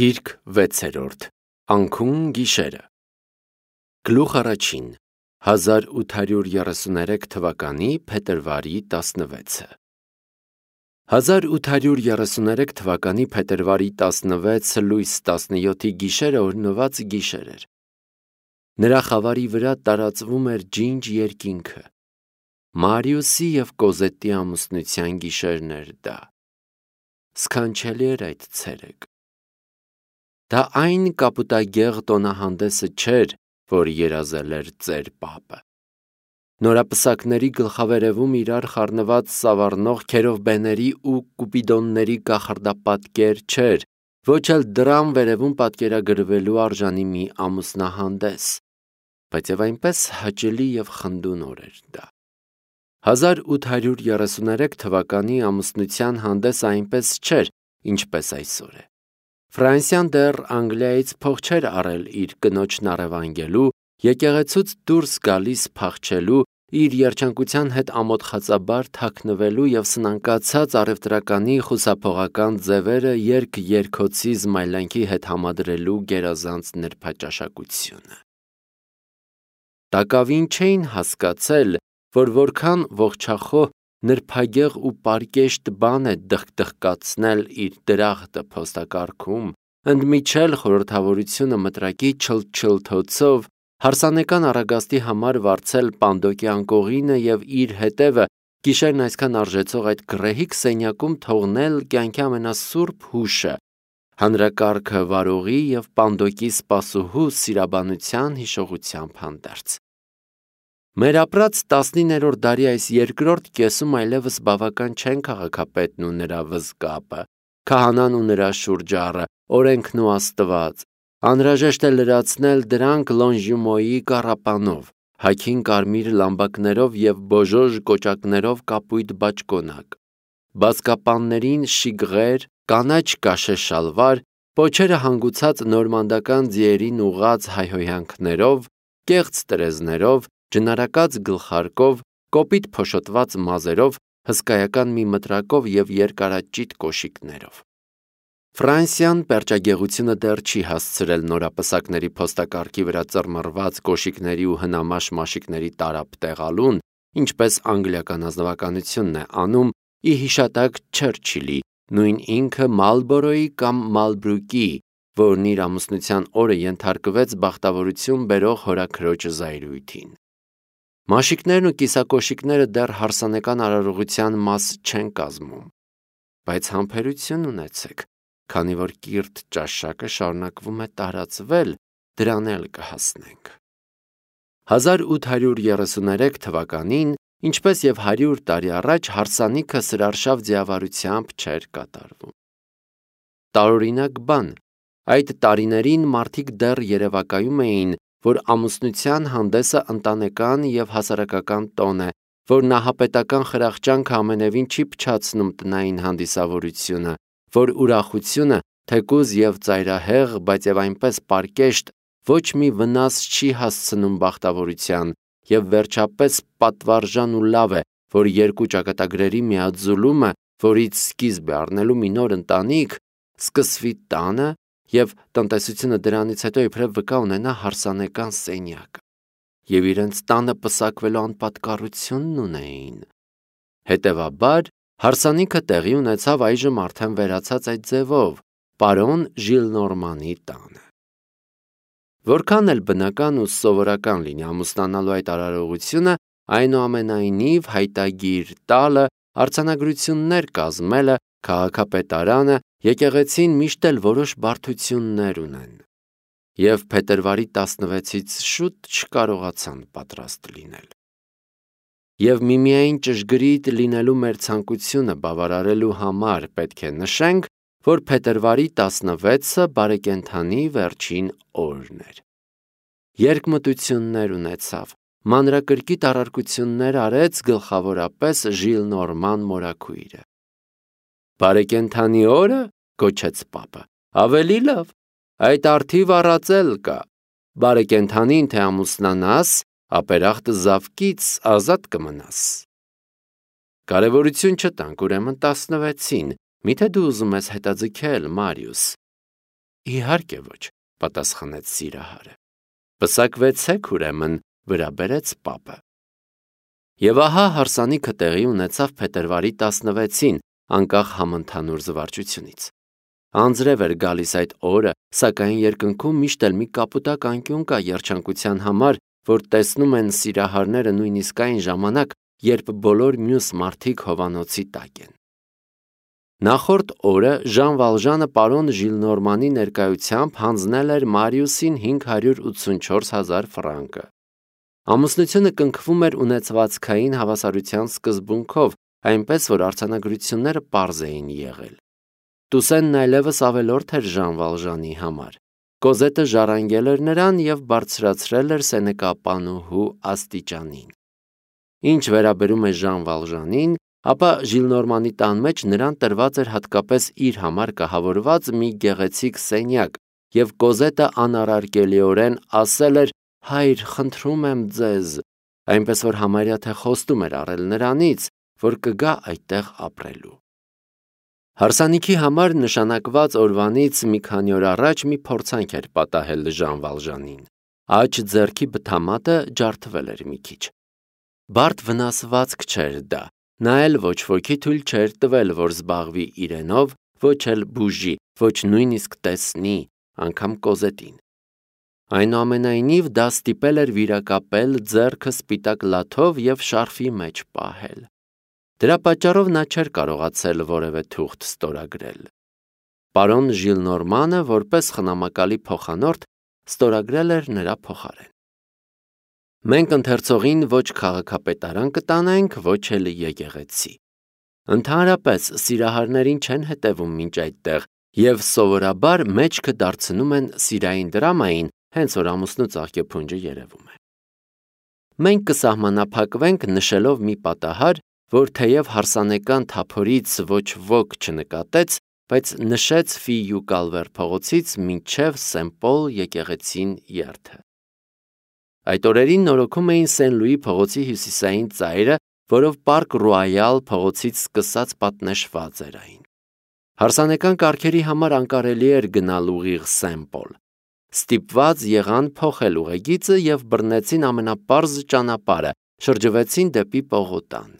Գիրք 6-րդ Անքուն գիշերը Գլուխ առաջին 1833 թվականի փետրվարի 16-ը 1833 թվականի փետրվարի 16 լույս 17-ի գիշերը օրհնված գիշեր էր։ Նրա խավարի վրա տարածվում էր ջինջ երկինքը։ Մարիուսի և Կոզետի ամուսնության գիշերն էր դա։ Սքանչելի էր այդ ցերեկ։ Դա այն կապուտագեղ տոնահանդեսը չէր, որ երազել էր ծեր պապը։ Նորապսակների գլխավերևում իրար խառնված սավառնող քերովբեների ու կուպիդոնների կախարդապատկեր չէր, ոչ էլ դռան վերևում պատկերագրվելու արժանի մի ամուսնահանդես, բայց և այնպես հաճելի և խնդունոր էր դա։ 1833 թվականի ամուսնության հանդեսը այնպես չէր, ինչպես այսօր է։ Ֆրանսիան դեռ Անգլիայից փող չէր առել իր կնոջն առևանգելու, եկեղեցուց դուրս գալիս փախչելու, իր երջանկության հետ ամոթխածաբար թաքնվելու և սնանկացած առևտրականի խուսափողական ձևերը երգ-երգոցի զմայլանքի հետ համադրելու գերազանց նրբաճաշակությունը։ Տակավին չէին հասկացել, որ որքան ողջախոհ, նրբագեղ ու պարկեշտ բան է դխկդխկացնել իր դրախտը փոստակարքում, ընդմիջել խորհրդավորությունը մտրակի չլթչլթոցով, հարսանեկան առագաստի համար վարձել պանդոկի անկողինը և իր հետևը գիշերն այսքան արժեցող այդ գռեհիկ սենյակում թողնել կյանքի ամենասուրբ հուշը, հանրակարգը վարողի և պանդոկի սպասուհու սիրաբանության հիշողությամբ հանդերձ։ Մեր ապրած 19-րդ դարի այս երկրորդ կեսում այլևս բավական չեն քաղաքապետն ու նրա վզկապը, քահանան ու նրա շուրջառը, օրենքն ու Աստված, անհրաժեշտ է լրացնել դրանք Լոնժյումոյի կառապանով, հագին կարմիր լամբակներով և բոժոժ կոճակներով կապույտ բաճկոնակ, բազկապաններին շիգղեր, կանաչ կաշե շալվար, պոչերը հանգուցած նորմանդական ձիերին ուղղած հայհոյանքներով, կեղծ տրեզներով, ջնարակած գլխարկով, կոպիտ փոշոտված մազերով, հսկայական մի մտրակով և երկարաճիտ կոշիկներով։ Ֆրանսիան պերճագեղությունը դեռ չի հասցրել նորապսակների փոստակարգի վրա ծռմռված կոշիկների ու հնամաշ մաշիկների տարափ տեղալուն, ինչպես անգլիական ազնվականությունն է անում, ի հիշատակ Չերչիլի, նույն ինքը Մալբորոյի կամ Մալբրուկի, որն իր ամուսնության օրը ենթարկվեց բախտավորություն բերող հորաքրոջ զայրույթին։ Մաշիկներն ու կիսակոշիկները դեռ հարսանեկան արարողության մաս չեն կազմում, բայց համբերություն ունեցեք, քանի որ կիրթ ճաշակը շարունակվում է տարածվել, դրան էլ կհասնենք։ 1833 թվականին, ինչպես և 100 տարի առաջ, հարսանիքը սրարշավ ձիավարությամբ չէր կատարվում։ Տարօրինակ բան, այդ տարիներին մարդիկ դեռ երևակայում էին, որ ամուսնության հանդեսը ընտանեկան և հասարակական տոն է, որ նահապետական խրախճանքը ամենևին չի փչացնում տնային հանդիսավորությունը, որ ուրախությունը, թեկուզ և ծայրահեղ, բայց և այնպես պարկեշտ, ոչ մի վնաս չի հասցնում բախտավորության, և վերջապես պատվարժան ու լավ է, որ երկու ճակատագրերի միաձուլումը, որից սկիզբ է առնելու մի նոր ընտանիք, սկսվի տանը և տնտեսությունը դրանից հետո իբրև վկա ունենա հարսանեկան սենյակը, և իրենց տանը պսակվելու անպատկառությունն ունեին։ Հետևաբար, հարսանիքը տեղի ունեցավ այժմ արդեն վերացած այդ ձևով, պարոն Ժիլնորմանի տանը։ Որքան էլ բնական ու սովորական լինի ամուսնանալու այդ արարողությունը, այնուամենայնիվ հայտագիր տալը, արձանագրություններ կազմելը, քաղաքապետարանը, եկեղեցին միշտ էլ որոշ բարդություններ ունեն, և փետրվարի 16-ից շուտ չկարողացան պատրաստ լինել։ Եվ միմիայն ճշգրիտ լինելու մեր ցանկությունը բավարարելու համար պետք է նշենք, որ փետրվարի 16-ը բարեկենդանի վերջին օրն էր։ Երկմտություններ ունեցավ, մանրակրկիտ առարկություններ արեց գլխավորապես Ժիլնորման մորաքույրը։ Բարեկենդանի օրը, գոչեց պապը, ավելի լավ, այդ առթիվ առածել կա, բարեկենդանին թե ամուսնանաս, ապերախտը զավկից ազատ կմնաս։ Կարևորություն չտանք, ուրեմն 16-ին, միթե դու ուզում ես հետաձգել, Մարիուս։ Իհարկե ոչ, պատասխանեց սիրահարը։ Պսակվեցեք ուրեմն, վրա բերեց պապը։ Եվ ահա հարսանիքը տեղի ունեցավ փետրվարի 16-ին, անկախ համընդհանուր զվարճությունից։ Անձրև էր գալիս այդ օրը, սակայն երկնքում միշտ էլ մի կապուտակ անկյուն կա երջանկության համար, որ տեսնում են սիրահարները նույնիսկ այն ժամանակ, երբ բոլոր մյուս մարդիկ հովանոցի տակ են։ Նախորդ օրը Ժան Վալժանը պարոն Ժիլնորմանի ներկայությամբ հանձնել էր Մարիուսին 584,000 ֆրանկը։ Ամուսնությունը կնքվում էր ունեցվածքային հավասարության սկզբունքով, այնպես որ արձանագրությունները պարզ էին եղել։ Տուսենն այլևս ավելորդ էր Ժան Վալժանի համար։ Կոզետը ժառանգել էր նրան և բարձրացրել էր սենեկապանուհու աստիճանին։ Ինչ վերաբերում է Ժան Վալժանին, ապա Ժիլնորմանի տան մեջ նրան տրված էր հատկապես իր համար կահավորված մի գեղեցիկ սենյակ, և Կոզետը անառարկելիորեն ասել էր. «Հայր, խնդրում եմ ձեզ», այնպես որ համարյա թե խոստում էր առել նրանից, որ կգա այդտեղ ապրելու։ Հարսանիքի համար նշանակված օրվանից մի քանի օր առաջ մի փորձանք էր պատահել Ժան Վալժանին։ Աջ ձեռքի բթամատը ջարդվել էր մի քիչ։ Բարդ վնասվածք չէր դա, նա էլ ոչ ոքի թույլ չէր տվել, որ զբաղվի իրենով, ոչ էլ բուժի, ոչ նույնիսկ տեսնի, անգամ Կոզետին։ Այնուամենայնիվ դա ստիպել էր վիրակապել ձեռքը սպիտակ լաթով և շարֆի մեջ պահել։ Դրա պատճառով նա չէր կարողացել որևէ թուղթ ստորագրել։ Պարոն Ժիլնորմանը, որպես խնամակալի փոխանորդ, ստորագրել էր նրա փոխարեն։ Մենք ընթերցողին ոչ քաղաքապետարան կտանենք, ոչ էլ եկեղեցի։ Ընդհանրապես սիրահարներին չեն հետևում մինչ այդտեղ և սովորաբար մեջքը դարձնում են սիրային դրամային, հենց որ ամուսնու ծաղկեփունջը երևում է։ Մենք կսահմանափակվենք նշելով մի պատահար, որ թեև հարսանեկան թափորից ոչ ոք չնկատեց, բայց նշեց Ֆիյու Կալվեր փողոցից մինչև Սեն-Պոլ եկեղեցին երթը։ Այդ օրերին նորոգում էին Սեն-Լուի փողոցի հյուսիսային ծայրը, որով Պարկ Ռոայալ փողոցից սկսած պատնեշված էր այն։ Հարսանեկան կարգերի համար անկարելի էր գնալ ուղիղ Սեն-Պոլ։ Ստիպված եղան փոխել ուղեգիծը և բռնեցին ամենապարզ ճանապարհը, շրջվեցին դեպի Պողոտան։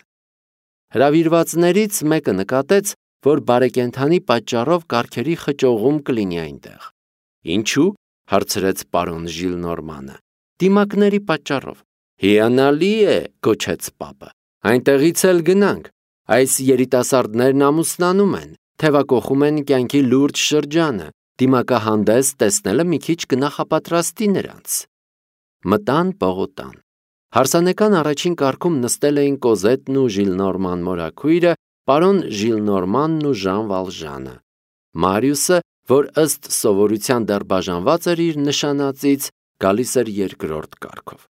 Հրավիրվածներից մեկը նկատեց, որ բարեկենդանի պատճառով կարգերի խճողում կլինի այնտեղ։ Ինչու՞, հարցրեց պարոն Ժիլնորմանը։ Դիմակների պատճառով։ Հիանալի է, գոչեց պապը։ Այնտեղից էլ գնանք։ Այս երիտասարդներն ամուսնանում են, թևակոխում են կյանքի լուրջ շրջանը, դիմակահանդես տեսնելը մի քիչ կնախապատրաստի նրանց։ Մտան Պողոտան։ Հարսանեկան առաջին կարգում նստել էին Կոզետն ու Ժիլնորման մորաքույրը, պարոն Ժիլնորմանն ու Ժան Վալժանը։ Մարիուսը, որ ըստ սովորության դեռ բաժանված էր իր նշանածից, գալիս էր երկրորդ կարգով։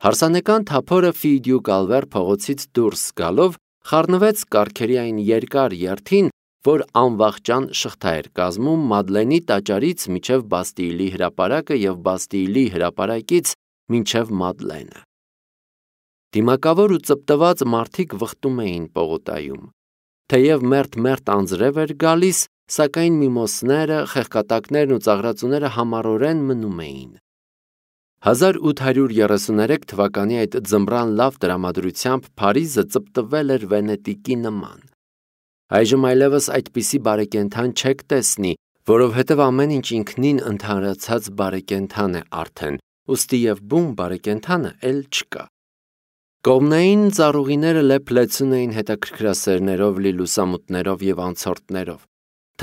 Հարսանեկան թափորը Ֆիյու Կալվեր փողոցից դուրս գալով խառնվեց կարգերի այն երկար երթին, որ անվախճան շղթա էր կազմում Մադլենի տաճարից մինչև Բաստիլի հրապարակը և Բաստիլի հրապարակից մինչև Մադլենը։ Դիմակավոր ու ծպտված մարդիկ վխտում էին Պողոտայում։ Թեև մերթ անձրև էր գալիս, սակայն միմոսները, խեղկատակներն ու ծաղրածուները համառորեն մնում էին։ 1833 թվականի այդ ձմռան լավ տրամադրությամբ Փարիզը ծպտվել էր Վենետիկի նման։ Այժմ այլևս այդպիսի բարեկենդան չեք տեսնի, որովհետև ամեն ինչ ինքնին ընդհանրացած բարեկենդան է արդեն, ուստի և բուն բարեկենդանը էլ չկա։ Կողմնային ծառուղիները լեփ-լեցուն էին հետաքրքրասերներով լի լուսամուտներով և անցորդներով։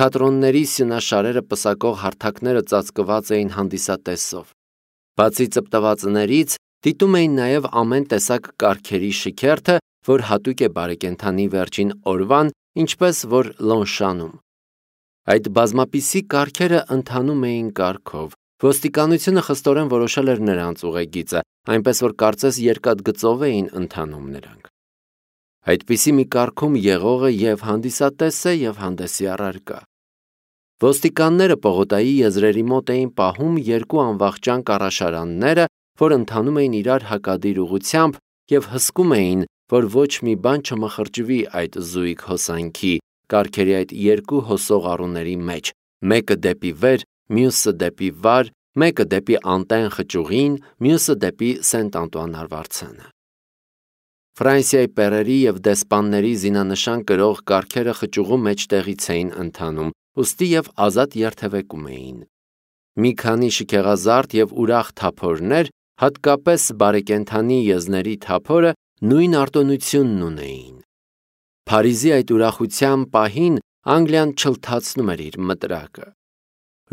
Թատրոնների սյունաշարերը պսակող հարթակները ծածկված էին հանդիսատեսով։ Բացի ծպտվածներից, դիտում էին նաև ամեն տեսակ կարգերի շքերթը, որ հատուկ է բարեկենդանի վերջին օրվան, ինչպես որ Լոնշանում։ Այդ բազմապիսի կարգերը ընթանում էին կարգով։ Ոստիկանությունը խստորեն որոշել էր նրանց ուղեգիծը, այնպես որ կարծես երկաթգծով էին ընթանում նրանք։ Այդպիսի մի կարգում եղողը և հանդիսատես է, և հանդեսի առարկա։ Ոստիկանները Պողոտայի եզրերի մոտ էին պահում երկու անվախճան կառաշարանները, որ ընթանում էին իրար հակադիր ուղղությամբ և հսկում էին, որ ոչ մի բան չմխրճվի այդ զույգ հոսանքի, կարգերի այդ երկու հոսող առուների մեջ, մեկը դեպի վեր, մյուսը դեպի Վար, մեկը դեպի Անտեն խճուղին, մյուսը դեպի Սենտ-Անտուան արվարձանը։ Ֆրանսիայի պերերի և դեսպանների զինանշան կրող կառքերը խճուղու մեջտեղից էին ընթանում, ուստի և ազատ երթևեկում էին։ Մի քանի շքեղազարդ և ուրախ թափորներ, հատկապես բարեկենդանի եզների թափորը, նույն արտոնությունն ունեին։ Փարիզի այդ ուրախության պահին Անգլիան չլթացնում էր իր մտրակը։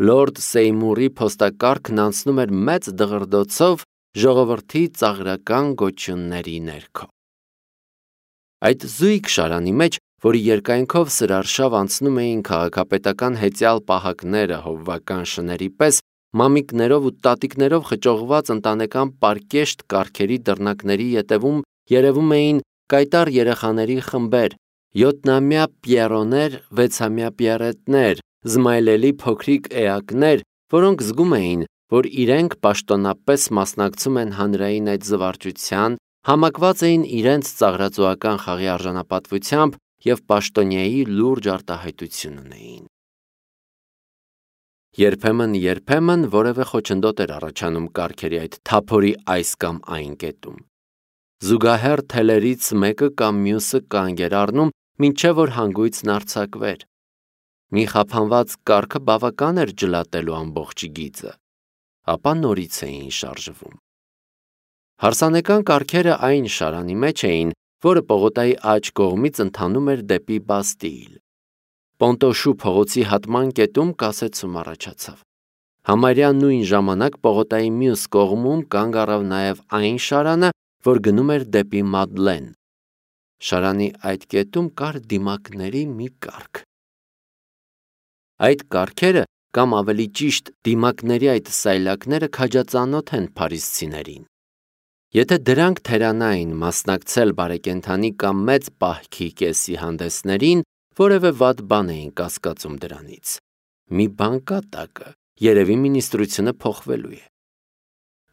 Լորդ Սեյմուրի փոստակառքն անցնում էր մեծ դղրդոցով ժողովրդի ծաղրական գոչյունների ներքո։ Այդ զույգ շարանի մեջ, որի երկայնքով սրարշավ անցնում էին քաղաքապետական հեծյալ պահակները հովվական շների պես, մամիկներով ու տատիկներով խճողված ընտանեկան պարկեշտ կառքերի դռնակների ետևում երևում էին կայտառ երեխաների խմբեր, 7-ամյա Պիերոներ, 6-ամյա Պիերետներ, զմայլելի փոքրիկ էակներ, որոնք զգում էին, որ իրենք պաշտոնապես մասնակցում են հանրային այդ զվարճության, համակված էին իրենց ծաղրածոական խաղի արժանապատվությամբ և պաշտոնյայի լուրջ արտահայտություն ունեին։ Երբեմն որևէ խոչընդոտ էր առաջանում կառքերի այդ թափորի այս կամ այն կետում։ Զուգահեռ թելերից մեկը կամ մյուսը կանգ էր առնում, մինչև որ հանգույցն արձակվեր։ Մի խափանված կառքը բավական էր ջլատելու ամբողջ գիծը, ապա նորից էին շարժվում։ Հարսանեկան կառքերը այն շարանի մեջ էին, որը պողոտայի աջ կողմից ընթանում էր դեպի Բաստիլ։ Պոնտոշու փողոցի հատման կետում կասեցում առաջացավ։ Համարյա նույն ժամանակ պողոտայի մյուս կողմում կանգ առավ նաև այն շարանը, որ գնում էր դեպի Մադլեն։ Շարանի այդ կետում կար դիմակների մի կառք։ Այդ կառքերը, կամ ավելի ճիշտ դիմակների այդ սայլակները քաջածանոթ են փարիզցիներին։ Եթե դրանք թերանային մասնակցել բարեկենդանի կամ մեծ պահքի կեսի հանդեսներին, որևէ վատ բան էին կասկածում դրանից։ Մի բան կա տակը, երևի մինիստրությունը փոխվելու է։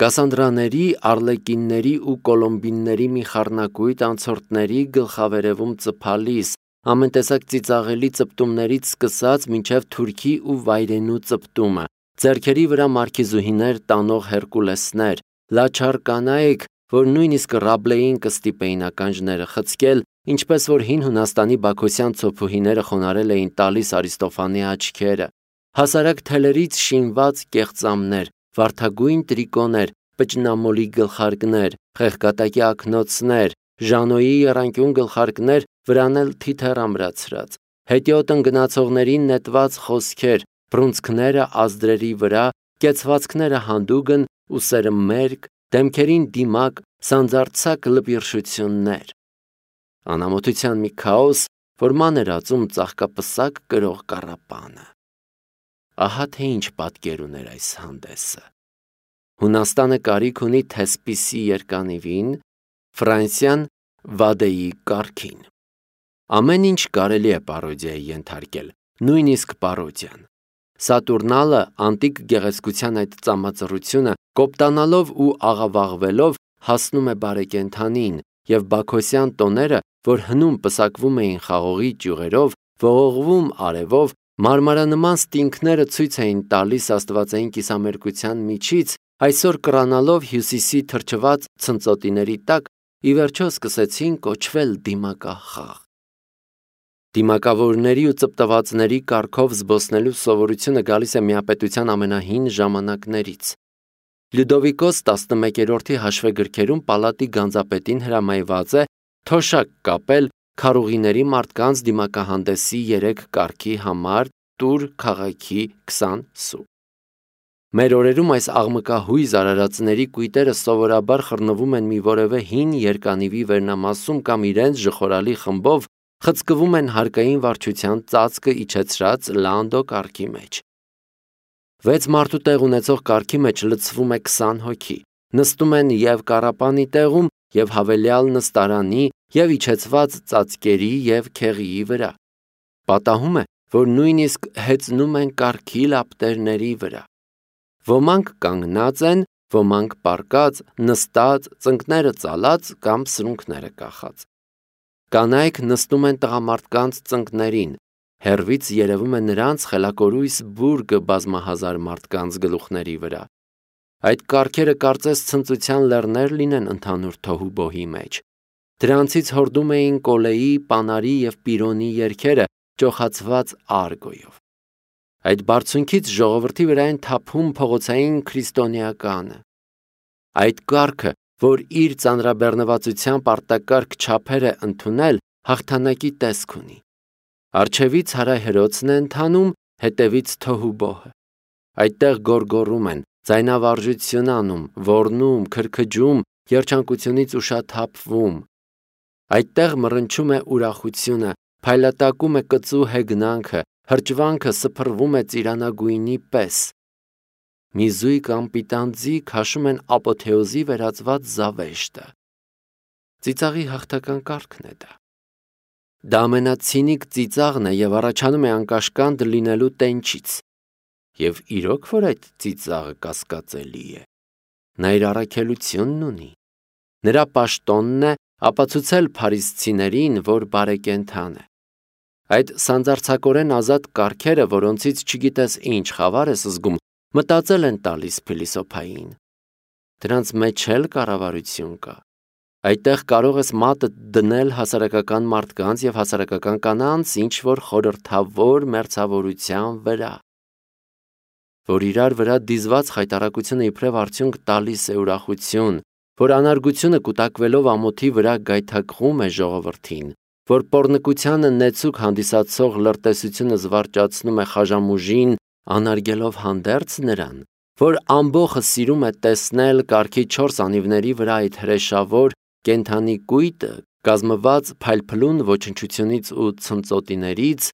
Կասանդրաների, արլեկինների ու կոլոմբինների մի խառնակույտ անցորդների գլխավերևում ծփալիս, ամեն տեսակ ծիծաղելի ծպտումներից սկսած մինչև թուրքի ու վայրենու ծպտումը, ձեռքերի վրա մարքիզուհիներ տանող հերկուլեսներ, լաչար կանայք, որ նույնիսկ Ռաբլեին կստիպեին ականջները խցկել, ինչպես որ հին Հունաստանի բաքոսյան ցոփուհիները խոնարհել էին տալիս Արիստոֆանի աչքերը, հասարակ թելերից շինված կեղծամներ, վարդագույն տրիկոներ, պճնամոլի գլխարկներ, խեղկատակի ակնոցներ, Ժանոյի եռանկյուն գլխարկներ, վրան էլ թիթեռ ամրացրած, հետիոտ ընկնացողներին նետված խոսքեր, բռունցքները ազդրերի վրա, կեցվածքները հանդուգն, ուսերը մերկ, դեմքերին դիմակ, սանձարձակ լպիրշություններ։ Անամոթության մի քաոս, որ ման էր ածում ծաղկապսակ կրող կառապանը։ Ահա թե ինչ պատկեր ուներ այս հանդեսը։ Հունաստանը կարիք ունի Թեսպիսի երկանիվին, Ֆրանսիան Վադեի կառքին։ Ամեն ինչ կարելի է պարոդիայի ենթարկել, նույնիսկ պարոդիան։ Սատուրնալը անտիկ գեղեցկության այդ ծամածռությունը կոպտանալով ու աղավաղվելով հասնում է բարեկենդանին, և բաքոսյան տոները, որ հնում պսակվում էին խաղողի ճյուղերով, ողողվում արևով, մարմարանման ստինքները ցույց էին տալիս աստվածային կիսամերկության միջից, այսօր կռանալով հյուսիսի թրջված ցնծոտիների տակ, ի վերջո սկսեցին կոչվել դիմակախաղ։ Դիմակավորների ու ծպտվածների կառքով զբոսնելու սովորությունը գալիս է միապետության ամենահին ժամանակներից։ Լյուդովիկոս 11-րդի հաշվեգրքերում պալատի գանձապետին հրամայված է թոշակ կապել քարուղիների մարդկանց դիմակահանդեսի 3 կառքի համար Տուր քաղաքի 20 սու։ Մեր օրերում այս աղմկահույզ արարածների կույտերը սովորաբար խռնվում են մի որևէ հին երկանիվի վերնամասում կամ իրենց ժխորալի խմբով խցկվում են հարկային վարչության ծածկը իջեցրած Լանդո կառքի մեջ։ 6 մարդու տեղ ունեցող կառքի մեջ լցվում է 20 հոգի, նստում են և կառապանի տեղում, և հավելյալ նստարանի, և իջեցված ծածկերի և քեղիի վրա։ Պատահում է, որ նույնիսկ հեծնում են կառքի լապտերների վրա։ Ոմանք կանգնած են, ոմանք պառկած, նստած, ծնկները ծալած կամ սրունքները կախած։ Կանայք նստում են տղամարդկանց ծնկներին, Հեռվից երևում է նրանց խելակորույս բուրգը բազմահազար մարդկանց գլուխների վրա։ Այդ կառքերը կարծես ցնծության լեռներ լինեն ընդհանուր թոհուբոհի մեջ։ Դրանցից հորդում էին Կոլեի, Պանարի և Պիրոնի երգերը ճոխացված արգոյով։ Այդ բարձունքից ժողովրդի վրա են թափում փողոցային քրիստոնեականը։ Այդ կառքը, որ իր ծանրաբեռնվածությամբ արտակարգ չափեր է ընդունել, հաղթանակի տեսք ունի։ Առջևից հարահրոցն է ընթանում, հետևից թոհուբոհը։ Այդտեղ գոռգոռում են, ձայնավարժություն անում, ոռնում, քրքջում, երջանկությունից ուշաթափվում։ Այդտեղ մռնչում է ուրախությունը, փայլատակում է կծու հեգնանքը, հրճվանքը սփռվում է ծիրանագույնի պես։ Մի զույգ անպիտան ձի քաշում են ապոթեոզի վերածված զավեշտը։ Ծիծաղի հաղթական կարգն է դա։ Դա ամենացինիկ ծիծաղն է և առաջանում է անկաշկանդ լինելու տենչից։ Եվ իրոք որ այդ ծիծաղը կասկածելի է։ Նա իր առաքելությունն ունի։ Նրա պաշտոնն է ապացուցել փարիսցիներին, որ բարեկենդան է։ Այդ սանձարձակորեն ազատ կառքերը, որոնցից չգիտես ինչ խավար ես զգում, մտածել են տալիս փիլիսոփային։ Դրանց մեջ էլ կառավարություն կա։ Այդտեղ կարող ես մատը դնել հասարակական մարդկանց և հասարակական կանանց ինչ-որ խորհրդավոր մերձավորության վրա, որ իրար վրա դիզված խայտառակությունը իբրև արդյունք տալիս է ուրախություն, որ անարգությունը կուտակվելով ամոթի վրա գայթակղում է ժողովրդին, որ պոռնկությանը նեցուկ հանդիսացող լրտեսությունը զվարճացնում է խաժամուժին, անարգելով հանդերձ նրան, որ ամբոխը սիրում է տեսնել կառքի 4 անիվների վրա այդ հրեշավոր կենդանի կույտը, կազմված փայլփլուն ոչնչությունից ու ցնծոտիներից,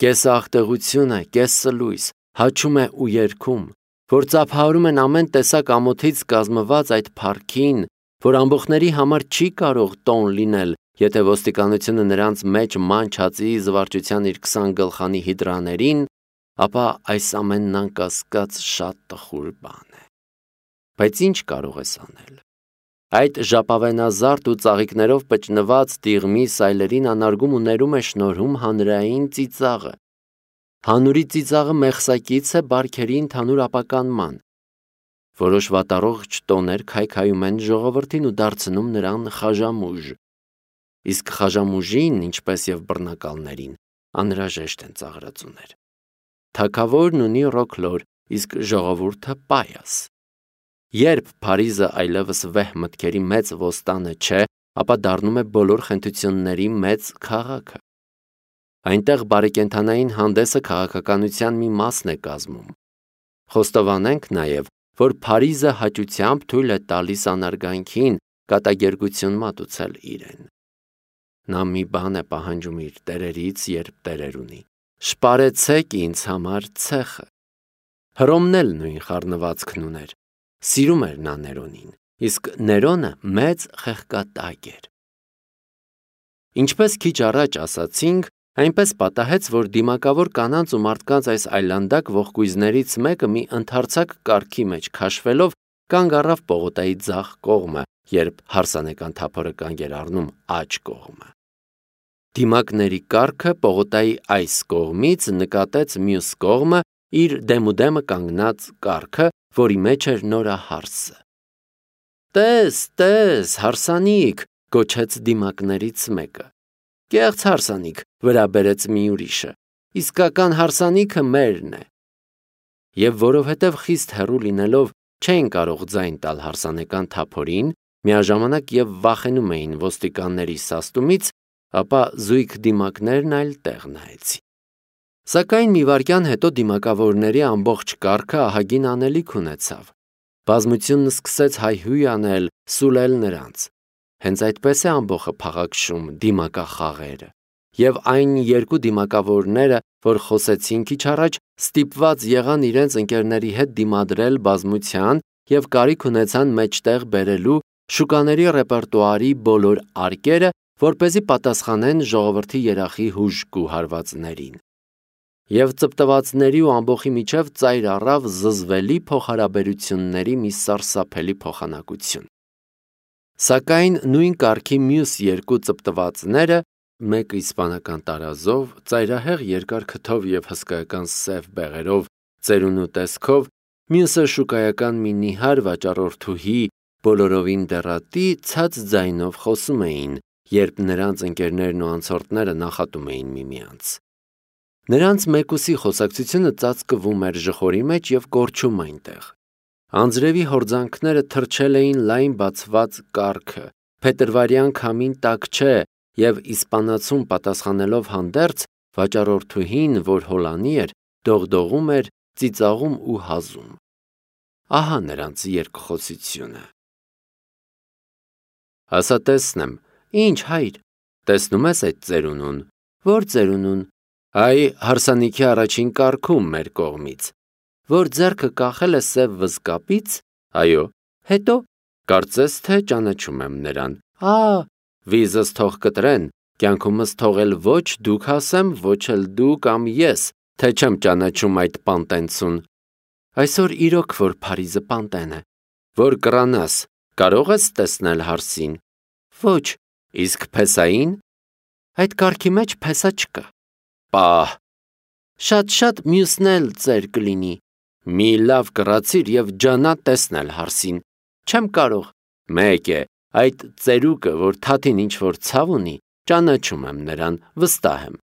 կեսաղտեղությունը, կեսսլույս, հաչում է ու երգում, որ ծափահարում են ամեն տեսակ ամոթից կազմված այդ փառքին, որ ամբոխների համար չի կարող տոն լինել, եթե ոստիկանությունը նրանց մեջ ման չածի զվարճության իր 20 գլխանի հիդրաներին, ապա այս ամենն անկասկած շատ տխուր բան է։ Բայց ինչ կարող ես անել։ Այդ ժապավենազարդ ու ծաղիկներով պճնված տիղմի սայլերին անարգում ու ներում է շնորհում հանրային ծիծաղը։ Հանուրի ծիծաղը մեղսակից է բարքերի ընդհանուր ապականման։ Որոշ վատառողջ տոներ քայքայում են ժողովրդին ու դարձնում նրան խաժամուժ։ Իսկ խաժամուժին, ինչպես և բռնակալներին, անհրաժեշտ են ծաղրածուներ։ Թագավորն ունի ռոքլոր, իսկ ժողովուրդը պայաս։ Երբ Փարիզը այլևս վեհ մտքերի մեծ ոստանը չէ, ապա դառնում է բոլոր խենթությունների մեծ քաղաքը։ Այնտեղ բարեկենդանային հանդեսը քաղաքականության մի մասն է կազմում։ Խոստովանենք նաև, որ Փարիզը հաճությամբ թույլ է տալիս անարգանքին կատակերգություն մատուցել իրեն։ Նա մի բան է պահանջում իր տերերից, երբ տերեր ունի. «Շպարեցեք ինձ համար ցեխը»։ Հռոմն էլ նույն խառնվածքն ուներ։ Սիրում էր նա Ներոնին, իսկ Ներոնը մեծ խեղկատակ էր։ Ինչպես քիչ առաջ ասացինք, այնպես պատահեց, որ դիմակավոր կանանց ու մարդկանց այս այլանդակ ողկույզներից մեկը մի ընդարձակ կառքի մեջ քաշվելով կանգ առավ պողոտայի ձախ կողմը, երբ հարսանեկան թափորը կանգ էր առնում աջ կողմը։ Դիմակների կառքը պողոտայի այս կողմից նկատեց մյուս կողմը իր դեմուդեմը կանգնած կառքը, որի մեջ էր նորահարսը։ «Տես, հարսանիք», գոչեց դիմակներից մեկը։ «Կեղծ հարսանիք», վրա բերեց մի ուրիշը, «իսկական հարսանիքը մերն է»։ Եվ որովհետև խիստ հեռու լինելով չէին կարող ձայն տալ հարսանեկան թափորին, միաժամանակ և վախենում էին ոստիկանների սաստումից, ապա զույգ դիմակներն այլ տեղ նայեցին։ Սակայն մի վայրկյան հետո դիմակավորների ամբողջ կառքը ահագին անելիք ունեցավ։ Բազմությունն սկսեց հայհույն անել, սուլել նրանց։ Հենց այդպես է ամբոխը փաղաքշում դիմակախաղերը։ Եվ այն երկու դիմակավորները, որ խոսեցին քիչ առաջ, ստիպված եղան իրենց ընկերների հետ դիմադրել բազմության և կարիք ունեցան մեջտեղ բերելու շուկաների ռեպերտուարի բոլոր արկերը, որպեսզի պատասխանեն ժողովրդի երախի հուժկու հարվածներին։ Եվ ծպտվածների ու ամբոխի միջև ծայր առավ զզվելի փոխհարաբերությունների մի սարսափելի փոխանակություն։ Սակայն նույն կարգի մյուս երկու ծպտվածները մեկը իսպանական տարազով, ծայրահեղ երկար քթով և հսկայական սև բեղերով, ծերունու տեսքով, մյուսը շուկայական մի նիհար վաճառորդուհի, բոլորովին դեռատի, ցած ձայնով խոսում էին, երբ նրանց ընկերներն ու անցորդները նախատում էին միմյանց։ Նրանց մեկուսի խոսակցությունը ծածկվում էր ժխորի մեջ և կորչում այնտեղ։ Անձրևի հորձանքները թրջել էին լայն բացված կառքը, փետրվարյան քամին տաք չէ, և իսպանացուն պատասխանելով հանդերձ, վաճառորդուհին, որ հոլանի էր, դողդողում էր, ծիծաղում ու հազում։ Ահա նրանց երկխոսությունը։ Ասա տեսնեմ, ինչ հայր, տեսնում ես այդ ծերունուն, որ ծերունուն, այ հարսանիքի առաջին կարգում մեր կողմից, որ ձեռքը կախել է սև վզկապից, այո, հետո, կարծես թե ճանաչում եմ նրան, վիզս թող կտրեն, կյանքումս թողել ոչ դուք ասեմ, ոչ էլ դու կամ ես, թե չեմ ճանաչում այդ պանտենցուն։ Այսօր իրոք որ Փարիզը պանտեն է, որ կռանաս, կարող ես տեսնել հարսին։ Ոչ, իսկ փեսային։ Այդ կարգի մեջ փեսա չկա։ Պահ։ Շատ մյուսն էլ ծեր կլինի։ Մի լավ կռացիր և ջանա տեսնել հարսին։ Չեմ կարող։ Մեկ է, այդ ծերուկը, որ թաթին ինչ-որ ցավ ունի, ճանաչում եմ նրան, վստահ եմ։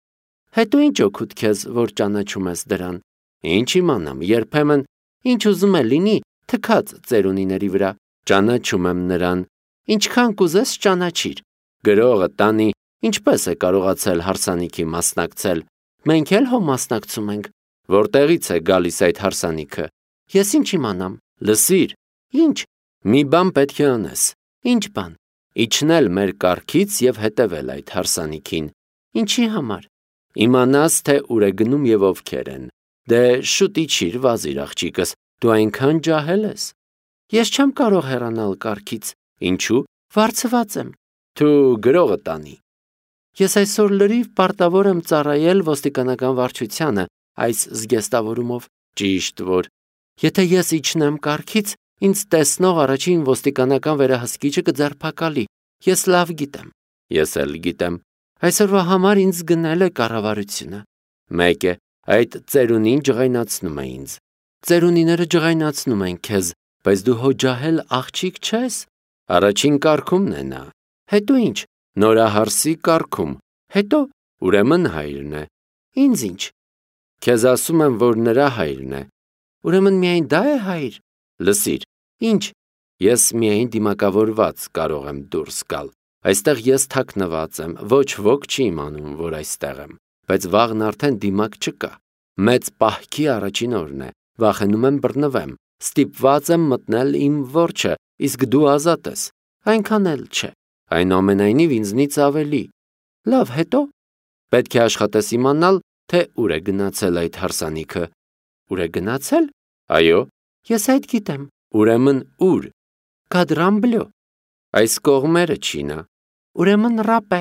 Հետո ինչ օգուտ քեզ, որ ճանաչում ես դրան։ Ինչ իմանամ, երբեմն, ինչ ուզում է լինի, թքած ծերունիների վրա, ճանաչում եմ նրան, ինչքան կուզես ճանաչիր։ Գրողը տանի, ինչպես է կարողացել հարսանիքի մասնակցել, մենք էլ հո մասնակցում ենք, որտեղից է գալիս այդ հարսանիքը, ես ինչ իմանամ, լսիր, ինչ, մի բան պետք է անես, ինչ բան, իջնել մեր կառքից և հետևել այդ հարսանիքին, ինչի համար, իմանաս, թե ուր է գնում և ովքեր են, դե շուտ իջիր, վազիր աղջիկս, դու այնքան ջահել ես, ես չեմ կարող հեռանալ կառքից, ինչու, վարձված եմ, թու գրողը տանի։ Ես այսօր լրիվ պարտավոր եմ ծառայել ոստիկանական վարչությանը այս զգեստավորումով, ճիշտ որ, եթե ես իջնեմ կառքից, ինձ տեսնող առաջին ոստիկանական վերահսկիչը կձերբակալի, ես լավ գիտեմ, ես էլ գիտեմ, այսօրվա համար ինձ գնել է կառավարությունը, մեկ է, այդ ծերունին ջղայնացնում է ինձ, ծերունիները ջղայնացնում են քեզ, բայց դու հո ջահել աղջիկ չես, առաջին կարգումն է նա, հետո ինչ, նորահարսի կարգում, հետո ուրեմն հայրն է, ինձ ինչ, քեզ ասում եմ, որ նրա հայրն է, ուրեմն միայն դա է հայր, լսիր, ինչ, ես միայն դիմակավորված կարող եմ դուրս գալ, այստեղ ես թաքնված եմ, ոչ ոք չի իմանում, որ այստեղ եմ, բայց վաղն արդեն դիմակ չկա, մեծ պահքի առաջին օրն է, վախենում եմ բռնվեմ, ստիպված եմ մտնել իմ որջը, իսկ դու ազատ ես, այնքան էլ չէ, այնուամենայնիվ ինձնից ավելի, լավ հետո, պետք է աշխատես իմանալ, թե ուր է գնացել այդ հարսանիքը, ուր է գնացել, այո, ես այդ գիտեմ, ուրեմն ուր, Կադրամբլյո, այս կողմերը չի նա, ուրեմն Ռապե,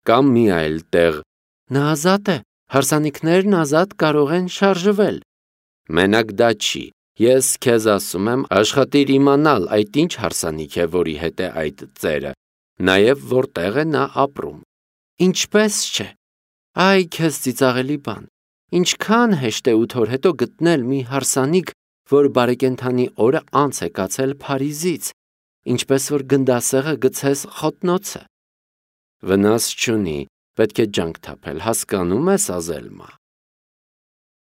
կամ մի այլ տեղ, նա ազատ է, հարսանիքներն ազատ կարող են շարժվել, մենակ դա չի, ես քեզ ասում եմ, աշխատիր իմանալ այդ ինչ հարսանիք է, որի հետ է այդ ծերը, նաև որտեղ է նա ապրում, ինչպես չէ, այ քեզ ծիծաղելի բան, ինչքան հեշտ է 8 օր հետո գտնել մի հարսանիք, որ բարեկենդանի օրը անց է կացել Փարիզից, ինչպես որ գնդասեղը գցես խոտնոցը, վնաս չունի, պետք է ջանք թափել, հասկանում ես Ազելմա։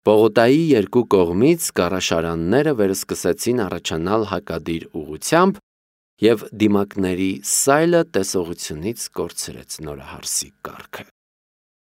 Պողոտայի երկու կողմից կառաշարանները վերսկսեցին առաջանալ հակադիր ուղությամբ և դիմակների սայլը տեսողությունից կորցրեց նորահարսի կառքը։